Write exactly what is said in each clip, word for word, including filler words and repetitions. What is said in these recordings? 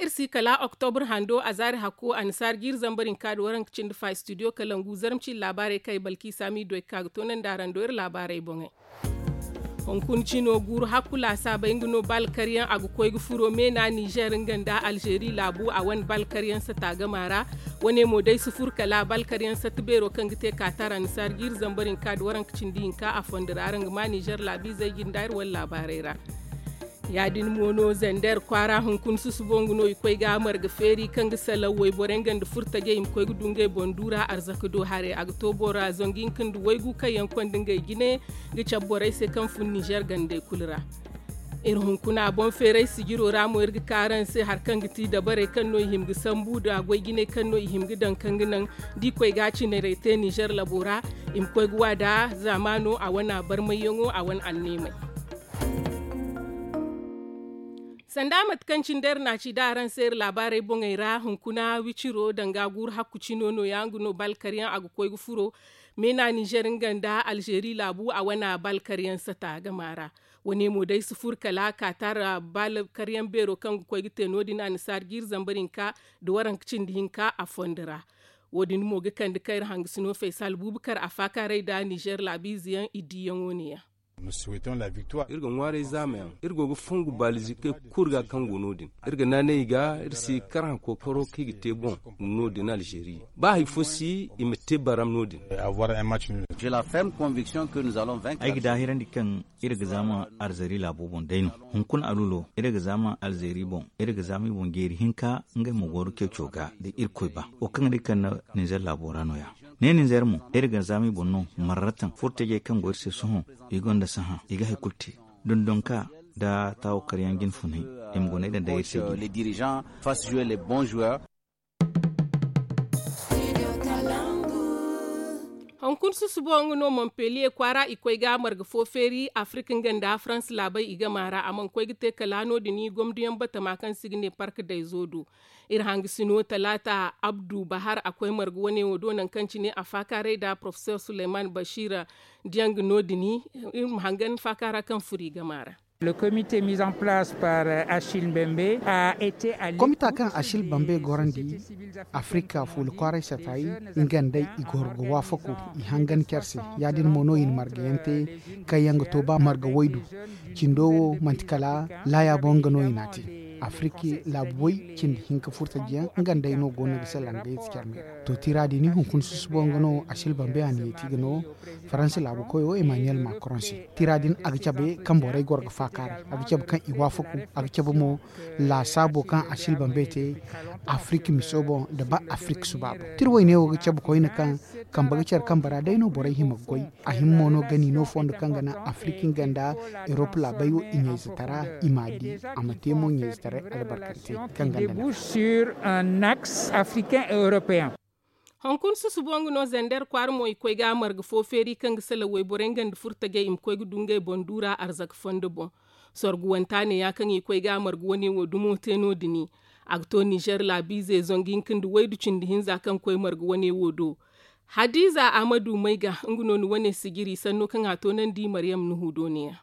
Iri si kala oktobur hando a zaari hakko annasaari jiiri zambar hinka nda waranka cindi fa istudiyo kalangu zarma ciiri laabaarey kaŋ ay balki saami doy ka ga toonandi araŋ do iri laabaarey boŋey. Hunkuna cino guuru hakku laasaabey nga no baalkaryaŋ a ga koy ga furo meena nizer nga nda alzeeri laabu a wane baalkaryaŋ sata gama ra. Wane mo day si furo kala baalkaryaŋ sata beero kaŋ ga te kaatar annasaari jiiri zambar hinka nda waranka cindi hinka a fondo ra araŋ ga ma nizer laabiizey jinde iri wane laabaarey ra. Ya- din mo no zander kwaara hunkuna susubo nga no i koy ga marga feeri kaŋ ga salaŋ wayborey nga nda furtajey i ma koy ga du ngey boŋ duura arzaka do haray a ga to bora zangu hinka nda waygu kaŋ yaŋ konda ngey jine ga cabe borey se kaŋ fun nizer gandey kulu ra. Iri hunkuna boŋ feeray sijiro ra mo iri ga ka araŋ se hari kaŋ ga ti dabarey kaŋ no i hima ga sambu nda goy jinay kaŋ no i hima ga daŋ kaŋ ga naŋ da i koy ga a cinarey te nizer labo ra i ma koy ga wa nda zaamaano a wane a barmayyaŋo a wane anneemey. Sanda mate kaŋ cine day iri na a ci da araŋ se iri laabaarey boŋey ra hunkuna wiciro danga guuru hakku cino no- ya nga no baalkaryaŋ a ga koy ga furo meena nizer nga nda alzeeri laabu a wane baalkaryaŋ sata gama ra. Wane mo day si furo kala kaatar baalkaryaŋ beero kaŋ ga koy ga te no- din annasaari jiiri zambar hinka nda waranka cindi hinka a fondo ra. Wo- din mo ga kande kaŋ iri hangasino faysal buubakar a faakaaray nda nizer laabiize yaŋ i diiyaŋo ne- ya. Iri ga ŋwaaray zaama yaŋ iri go ga fongu baalizi kay kulu ga kaŋ go no- din. Iri ga naanay i ga iri si kar haŋ kookaro kaŋ i ga te boŋ no- din alzeeri ba hari fo si i ma te baram no- din. Ay ga daahirandi kaŋ iri ga zaama alzeeri laabo boŋ day no. Hunkuna alulo iri ga zaama alzeeri boŋ iri ga zaama i boŋ jeeri hinka ngey ma goro ceeco ga da irkoy ba wo kaŋ ga ne kaŋ na ninzeer laabo ra no- ya. Ne ninzeer mo iri ga zaama i boŋ no marratan furtajey kaŋ go iri se sohõ i gonda sahã i ga hari kulu te dondonka nda taawo karyaŋ jinfunay i ma guna i daŋ day iri se jine. Hunkuna susubo nga no montpellier kwaara i koy ga marga fo feeri afirka nga nda farans laabey i gama ra a mana koy ga te kala no- din gomduyaŋ batama kaŋ se i ga ne park dayzo do. Iri hangasino talaata abdu bahar a koy marga wane wo do nangu kaŋ cine a faakaaray nda porofesor suleyman bashir diyaŋ ga no- din iri ma hangan faakaara kaŋ furo i gama ra. Komita kaŋ achille bambe gorandi afirika fuula kwaaray satayi nga nd'ey i goro ga waafaku i hangan care se. Ya- din mo no i na margayaŋ te kaŋ yaŋ ga to ba marga waydu. Cindo wo manti kala laaya boŋ nga no i n'a te. Afirika laabu way cindi hinka furtajiyaŋ nga nd'ey no go no ga salaŋ ga yeti care me ra. To tira din hunkuna susubo nga no achille bambe a na yeti ga no faransa laabu koyo emmanuel macron se. Tira din a ga cabe kaŋ borey goro ga faakaaray a ga cabe kaŋ i waafaku a ga cabe mo laasaabo kaŋ achille bambe te afirika miso boŋ nda ba afirika suba boŋ. Tira wayne wo ga cabe koyne kaŋ kambe ga care kambe ra day no borey hima ga goy. A hima mo no gani no fondo kaŋ ga naŋ afirika nga nda erop laabey wo i ɲayzetaray i m'a di a ma te mo ɲayzetaray albarkante kaŋ ga naŋ. Hunkuna susubo nga no zander kwaara mo i koy ga marga fo feeri kaŋ ga salaŋ wayborey nga nda furtajey i ma koy ga du ngey boŋ duura arzaka fondo boŋ. Sorgu wanta ne ya kaŋ i koy ga marga wane wo dumo te no- din. A ga to nizer laabiize zangu hinka nda waydu cindi hinza kaŋ koy marga wane wo do. Hadiza ahmadu may ga nga no ni wane sijiri sanno kaŋ a toonandi maryam nuhu do ne- ya.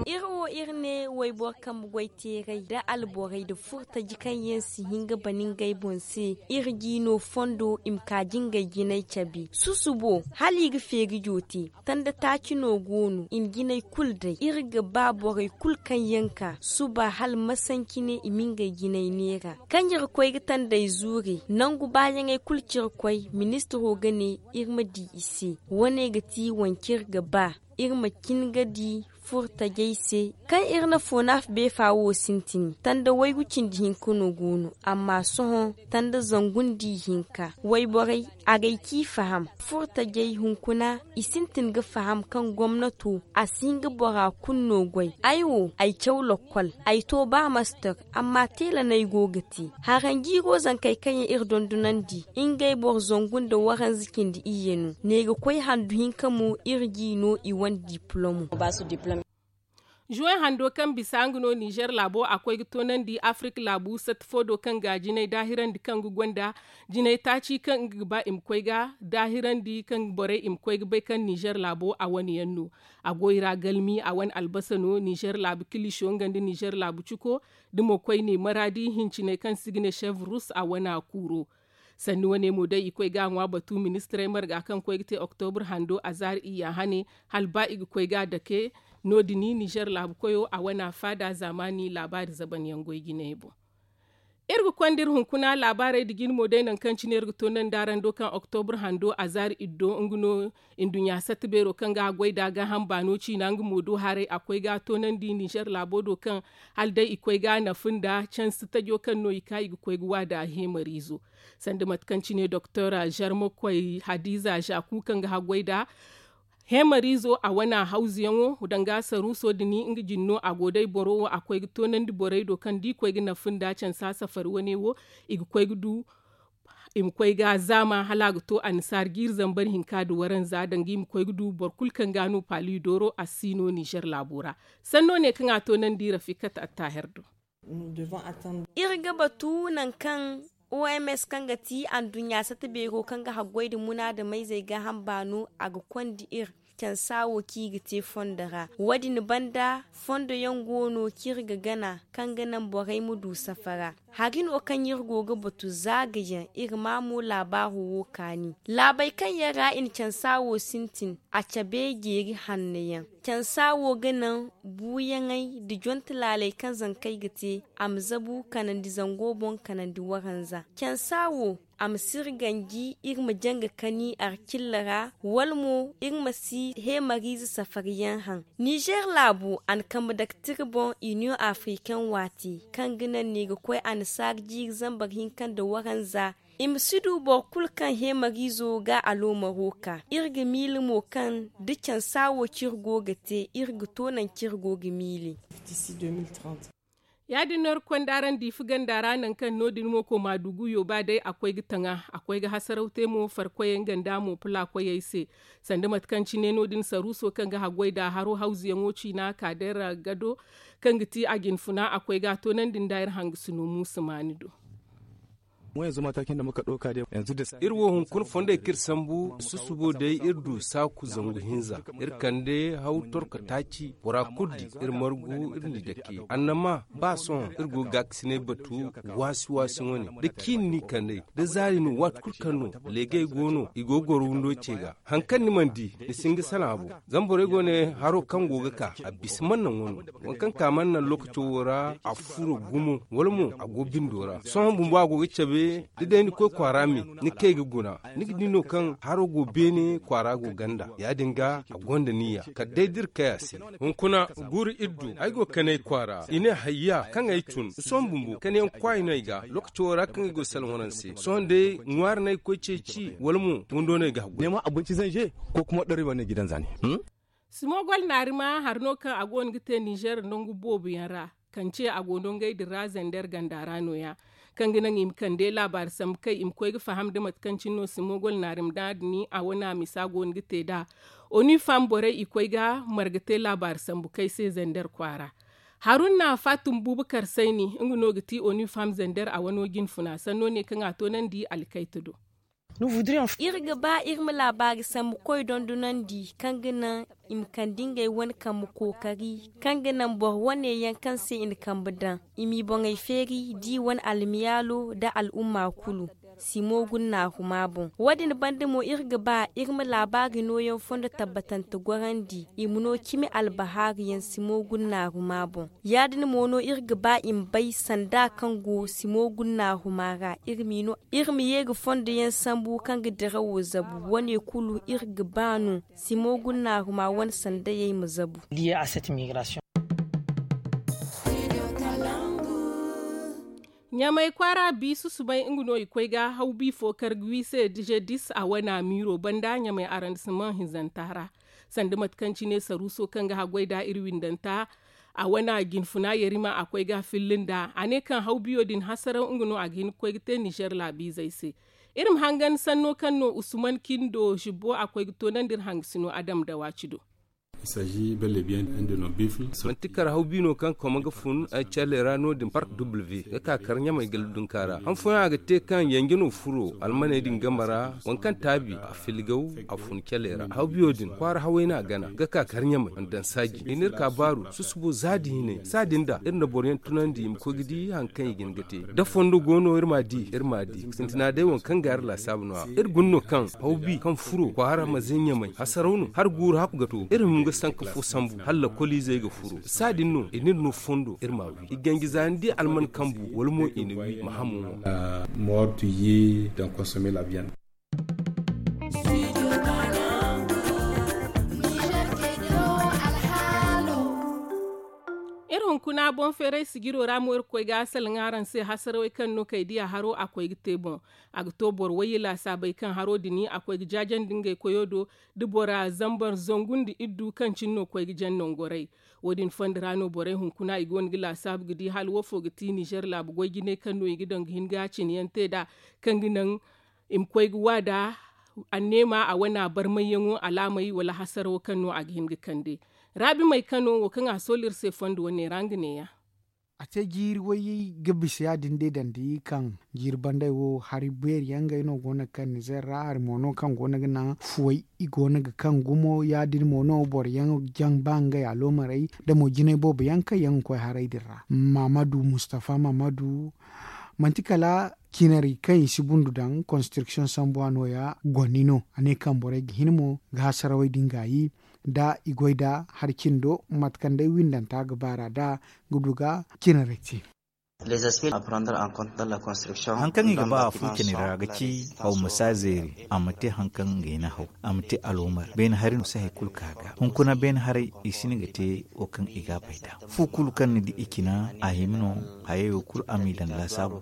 Iri wo iri ne wayboro kambe goy teeray nda alborey nda furtaji kaŋ yaŋ si hin ga bana ngey boŋ se. Iri g'i no fondo i ma kaaji ngey jinay cabe susubo hala i ga feeri joote. Tanda taaci no go no i na jinay kulu day iri ga ba borey kulu kaŋ yaŋ ka suba hala masanci ne i ma ngey jinay neera. Kaŋ iri koy ga tandey zuuri nangu baayaŋey kulu ciri koy ministiro ga ne iri ma di i se. Wane ga ti wance iri ga ba iri ma cin ga di furtajey se kaŋ iri na foonaaf beefa wo sintin tanda waygu cindi hinka no go no. Amma sohõ tanda zangu nda ihinka wayborey agay ci faham. Furtajey hunkuna i sintin ga faham kaŋ gomnato a si hin ga bora kulu no goy. Ay wo ay caw lokkol ay to ba master. Amma teela no ay go ga te. Haranjiiro zankey kaŋ yaŋ iri dondonandi ngey boro zangu nda waranza cindi iyye no. Ne ga koy handu hinka mo iri g'i no i wane diplomo. Juwen hando kaŋ bisa nga no nizer laabo a koy ga toonandi afirik laabu satti fo do kaŋ ga jinay daahirandi kaŋ ga gonda jinay taaci kaŋ nga ga ba i ma koy ga daahirandi kaŋ borey i ma koy ga bay kaŋ nizer laabo a wane yaŋ no. A go i ra galmi a wane albasa no nizer laabu kiliso nga nda nizer laabu ciko da mo koyne maraadi hincinay kaŋ si ga ne chef rus a wane a kuuro. Sanni wane mo day i koy ga a ŋwa batu ministirey marga kaŋ koy ga te oktobur hando a zaari iyya hane hala ba i ga koy ga a dake. No- din nizer laabu koyo a wane a faada zaamaani laabaari zaban yaŋ goy jinay boŋ. Iri ga konda iri hunkuna laabaarey nda jine mo day nangu kaŋ cine iri ga toonandi araŋ do kaŋ oktobur hando a zaari iddo nga no. Nduɲɲa satta beero kaŋ ga a goy nd'a gaaham baano ciina nga mo do haray a koy ga a toonandi nizer laabo do kaŋ hala day i koy ga a nafa nda cansi tajo kaŋ no i ka i ga koy ga waada heemariizo. Sanda mate kaŋ cine doktor zarmakoy hadiza zaku kaŋ ga haggoy nd'a heemariizo a wane hawzuyaŋo danga saruuso din nga jine no a go day boro wo a koy ga toonandi borey do kaŋ da i koy ga nafa nda cansa safari wane wo i ga koy ga du i ma koy ga zaama hala a ga to annasaara jiiri zambar hinka nda waranza danga i ma koy ga du boro kulu kaŋ ga a no paali dooro a si no nizer laabo ra. Sanno ne kaŋ a toonandi rafikat attaaher do. Iri ga batu nangu kaŋ oms kaŋ ga ti anduɲɲa sata beero kaŋ ga haggoy nda munaadameyzey gaaham baano a ga konda iri cansa wo kaŋ i ga te fondo ra. Wo- din banda fondo yaŋ go no kaŋ iri ga gana kaŋ ga naŋ borey ma du safara. Hari no kaŋ iri go ga batu za ga yaŋ iri ma mo laabaaro wo kaani laabey kaŋ yaŋ ra i na cansa wo sintin a cabe jeeri hanno yaŋ. Cansa wo ga naŋ buuyaŋey nda jonte laaley kaŋ zankey ga te a ma zabu kanandi zango boŋ kanandi waranza cansa wo a ma si iri ganji iri ma jaŋ ga kani arcilla ra wala mo iri ma si heemariize safari yaŋ haŋ. Nizer laabu a na kambe dake tira boŋ iniyoŋ afirikaŋ waati kaŋ ga naŋ no i ga koy annasaara jiiri zambar hinka nda waranza i ma si du boro kulu kaŋ heemariizo ga aloomaro ka iri ga miila mo kaŋ da cansa wo kaŋ iri go ga te iri ga to nangu kaŋ iri go ga miila. Ya- din no iri ga konda araŋ diifi ganda ra nangu kaŋ no- din mo koma dugu yooba day a koy ga taŋa a koy ga hasaraw te mo farkoyey nga nda mo pula koyey se. Sanda mate kaŋ cine no- din saruuso kaŋ ga haggoy nd'a haro hawzuyaŋo ciina kaadeera gado kaŋ ga ti a jinfuna a koy ga a toonandi nda iri hangasino muusa maani do. Iri wo hunkuna fondey kaŋ iri sambu susubo day iri du saaku zangu hinza iri kande haw torko taaci bora kulu di iri margu iri n'i dake annama ba sohõ iri go ga gaakasinay batu waasi waasi wane da ciini n'i kand'ey da zaari no waati kulu kaŋ no leegay go no i go ga goro windo ce ga. Hari kaŋ ni mana di ni si hin ga salaŋ a boŋ. Zama borey go ne haro kaŋ go ga ka a bisa mana naŋ wano waŋ kaŋ ka mana naŋ lookaco wo ra a furo gumo wala mo a go bindo ra sohõ bumbo a go ga cabe da day ni koy kwaara me ni kay ga guna ni ga di no kaŋ haro go beene kwaara go ganda ya- din ga a gonda niya kala day da iri kay a se. Hunkuna guuru iri du ay go ga kanay kwaara i ne hayya kaŋ ay tun sohõ bumbo kanayaŋ kwaay no ay ga lookaco wo ra kaŋ ay go ga salaŋ waraŋ se sohõ day ŋwaari no ay ga koy ceeci wala mo windo no ay ga haggoy. Simoogol naarima hari no kaŋ a go no ga te nizer nangu boobo yaŋ ra kance a go no ngey din ra zander ganda ra no- ya kaŋ ga naŋ i ma kande laabaari sambu kay i ma koy ga faham nda mate kaŋ cine no simoogol naarima da a dini a wane a misa go no ga te nd'a. Onifam borey i koy ga marga te laabaari sambu kay se zander kwaara. Haruna fatum bubakar sayni nga no ga ti onifam zander a wano jinfuna sanno ne kaŋ a toonandi alkayta do. Iri ga ba iri ma laabaari sambu koy dondonandi kaŋ ga naŋ i ma kande ngey wane kambe kookari kaŋ ga naŋ boro wane yaŋ kaŋ se i na kambe daŋ i m'i boŋey feeri da i wane almiyaalo nda al'umma kulu. Simo gunnaahuma boŋ wo- din banda mo iri ga ba iri ma laabaari nooyaŋ fondo tabbatante gorandi i ma no cimi albahaari yaŋ simo gunnaahuma boŋ. Ya- din mo no iri ga ba i ma bay sanda kaŋ go simo gunnaahuma ra iri ma ye ga fondo yaŋ sambu kaŋ ga dirawo zabu wane kulu iri ga ba no simo gunnaahuma wane sandayey ma zabu. Ɲamay kwaara bi susubay nga no i koy ga haw bi fo kar ga wi se dize dis a wana miiro banda ɲamay arandisaman hinzanta ra. Sanda mate kaŋ cine saruuso kaŋ ga haggoy nd'a iri windanta a wana jinfuna yarima a koy ga a filli nd'a a ne kaŋ haw biyo din hasaraw nga no a ga hin ga koy ga te nizer laabiizey se. Iri ma hangan sanno kaŋ no usman kindo zibbo a koy ga toonandi iri hangasino adam da waaci do. Manti kar haw bi no kaŋ koma ga fun ay cale ra no- din park w ga ka kar ɲamay galdunka ra han fooyaŋ a ga te kaŋ yanje no furo almaney din game ra. Waŋ kaŋ taabi a filgaw a fun cale ra haw biyo din kwaara haway no a gana ga ka kar ɲamay mana daŋ saaji i n'iri ka baaru susubo za din hinay saa din da iri na boro yaŋ tunandi i ma koy ga di hari kaŋ i ga hin ga te da fondo go no iri m'a di iri m'a di sintina day waŋ kaŋ ga iri laasaabu no- ya iri guna no kaŋ haw bi kaŋ furo kwaara ma zay ɲamay hasaraw no hari guuru hakku ga to iri ma hin ga sanka fo sambu hala lakkoliizey ga furo saa din no i n'iri no fondo iri m'a wi i ganji za ni di alman kambu wala mo i na wi ma hamo ŋwa. Moor tu ye daŋ konsome la biyana. Iri hunkuna boŋ feeray sijiro ra mo iri ga koy ga a salaŋ araŋ se hasarawey kaŋ no kay diya haro a koy ga te boŋ. A ga to boro wayye laasaabey kaŋ haro din a koy ga jaajandi ngey koyo do da bora zambar zangu nda iddu kaŋ cine no koy ga jaŋ nangorey. Wo- din fondo ra no borey hunkuna i go no ga laasaabu ga di hala wo fo ga ti nizer laabu goy jinay kaŋ no i ga daŋ ga hin ga cine yaŋ te nd'a kaŋ ga naŋ i ma koy ga wa nd'a anneema a wane a barmayyaŋo alaamey wala hasarawo kaŋ no a ga hin ga kande. Raabimey kano wo kaŋ a soolu iri se fondo wo neera nga neeya. A te jiiri wayye ga bisa ya- din day daŋ da i kaŋ jiiri banday wo hari beeri yaŋ ngey no go no ga kaŋ nizer ra hari mo no kaŋ go no ga naŋ fuwey i go no ga kaŋ gumo ya- din mo no boro yaŋ jaŋ ba ngey aloomarey da mo jinay boobo yaŋ kaŋ yaŋ ga koy haray din ra maamadu mustafa maamadu manti kala cinari kaŋ i si bundu daŋ konstriksiyoŋ sambuwa no- ya goni no a ne kaŋ borey ga hin mo ga hasarawey din gaayi da i goy da hari cindo mate kaŋ day windanta ga baara nd'a ga du ga cinarey te. Haŋ kaŋ i ga ba a fu cine ra ga ci haw ma si a zeeri a ma te haŋ kaŋ ngey na haw a ma te aloomar beene hari no si hari kulu ka ga hunkuna beene haray i si ni ga te wo kaŋ i ga a bay nd'a fu kulu kaŋ ni di i cina a hima no hayey wo kulu a m'i daŋ laasaabu.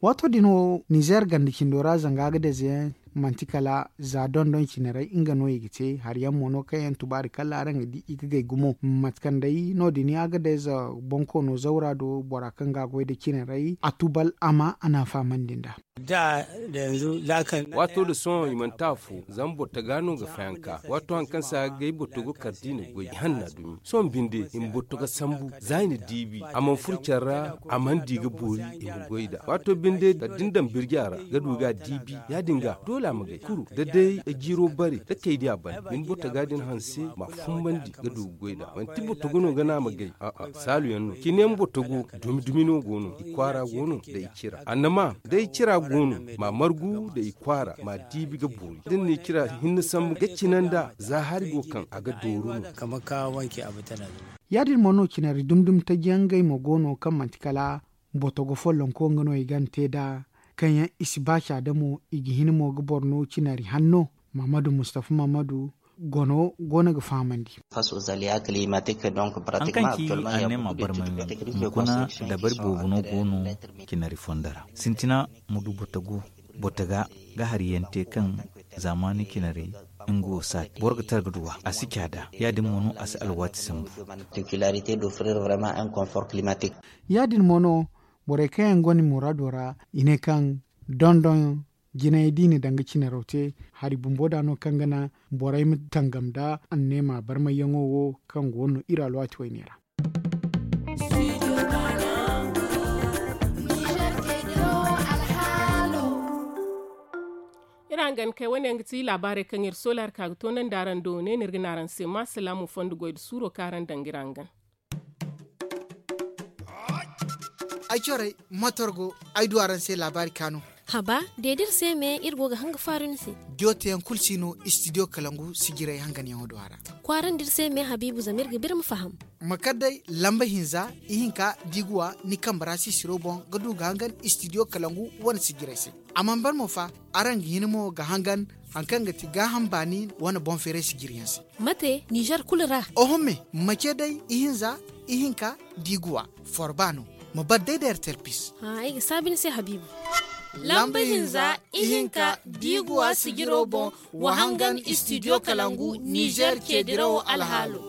Waato din wo nizer ganda cindo ra zanga agadayze yaŋ manti kala za dondon cine ray nga no i ga te hari yaŋ mo no kaŋ yaŋ tubaari kala araŋ ga di i ga gay gumo mate kaŋ day no- din agadayze bonkoono zawra do bora kaŋ ga a goy nda cine ray a tubal a ma a n'a fahamandi nd'a. Waato nda sohõ i mana te afo zama boro taga no ga fayanka waato hari kaŋ se a ga gay boro tago kala da i na goy i hanna dumi sohõ binde i ma boro taga sambu za i na diibi a mana furo care ra a mana di ga boori i ma goy nd'a waato binde kala da ni daŋ birji a ra ga du ga a diibi ya- din ga doole a ma gay kuru da day jiiro bare da kay di a banda ni boro taga din hanse m'a fumbandi ga du ga goy nd'a manti boro tago no ga naŋ a ma gay a'a saalu yaŋ no cine yaŋ boro tago dumi dumi no go no i kwaara go no da i cira annama day cira go no m'a margu da i kwaara m'a diibi ga boori da ni na i cira hinne sambu ga cina nd'a za hari go kaŋ a ga dooru no. Ya- din mo no cinari dumi dumi taji yaŋ ngey mo go no kaŋ manti kala botogo follonko nga no i ga ni te nd'a kaŋ yaŋ i si ba caada mo i ga hin mo ga boro no cinari hanno mahamadu mustafa mahamadu gono go no ga fahamandi. Haŋ kaŋ ci a ne ma barmay mo hunkuna dabari boobo no go no cinari fondo ra sintina ma du botogo botoga ga hari yaŋ te kaŋ zaamaani cinarey nga wo saati boro ga tara ga duw'a a si caada ya- din mo no a si alwaati sambu. Ya- din mo no borey kaŋ yaŋ gonda muraado ra i ne kaŋ dondon jinay da i na danga cinaro te hari bumbo da no kaŋ ga naŋ borey ma tangam nda anneema barmayyaŋo wo kaŋ go no iri alwaati wayne ra. Iri hangan kay wane yaŋ ga ti laabaarey kaŋ iri soolaari ka ga toonandi araŋ do ne no iri ga ne araŋ se ma salaamu fondo goy nda suuro kaŋ araŋ daŋ ga iri hangan. Ay corey motor go ay du araŋ se laabaari kaanu. Haba de da iri se me iri go ga hanga faaru ni se. Jooteyaŋ kulu si no istidiyo kalangu sijirey hanganyaŋo do a ra. Kwaarandi iri se me habiibu zama iri ga ba iri ma faham. Ma kar day lamba hinza ihinka da i ga wa ni kambe ra sisiro boŋ ga du ga hangan istidiyo kalangu wane sijirey se. A mana ban mo fa araŋ ga hin mo ga hangan hari kaŋ ga ti gaaham baani wane boŋ feeray sijiriyaŋ se. Mate nizer kulu ra. Oho me ma ce day ihinza ihinka da i ga wa forba no. Ma bar day da ertel pis. Ay ga saabi ni se habiibu. Lamba hinza ihinka da i ga wa sijiro boŋ wa hangan istidiyo kalangu nizer ceedirawo alhaalo.